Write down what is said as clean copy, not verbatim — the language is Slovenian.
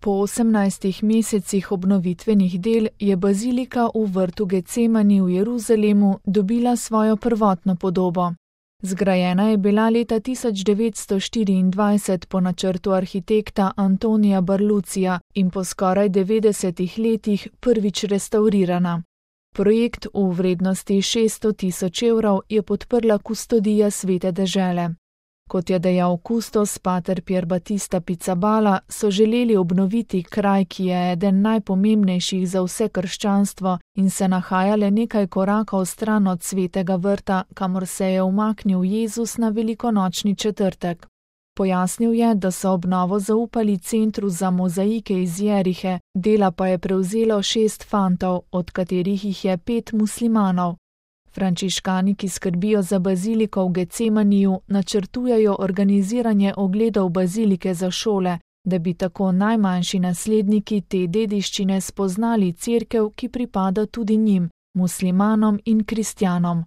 Po 18 mesecih obnovitvenih del je bazilika v vrtu Getsemani v Jeruzalemu dobila svojo prvotno podobo. Zgrajena je bila leta 1924 po načrtu arhitekta Antonija Barlucija in po skoraj 90 letih prvič restavrirana. Projekt v vrednosti 600 000 evrov je podprla kustodija Svete dežele. Kot je dejal kustos pater Pier Battista Pizzaballa, so želeli obnoviti kraj, ki je eden najpomembnejših za vse krščanstvo in se nahaja le nekaj korakov stran od Svetega vrta, kamor se je umaknil Jezus na velikonočni četrtek. Pojasnil je, da so obnovo zaupali Centru za mozaike iz Jerihe, dela pa je prevzelo 6 fantov, od katerih jih je 5 muslimanov. Frančiškani, ki skrbijo za baziliko v Getsemaniju, načrtujejo organiziranje ogledov bazilike za šole, da bi tako najmanjši nasledniki te dediščine spoznali cerkev, ki pripada tudi njim, muslimanom in kristjanom.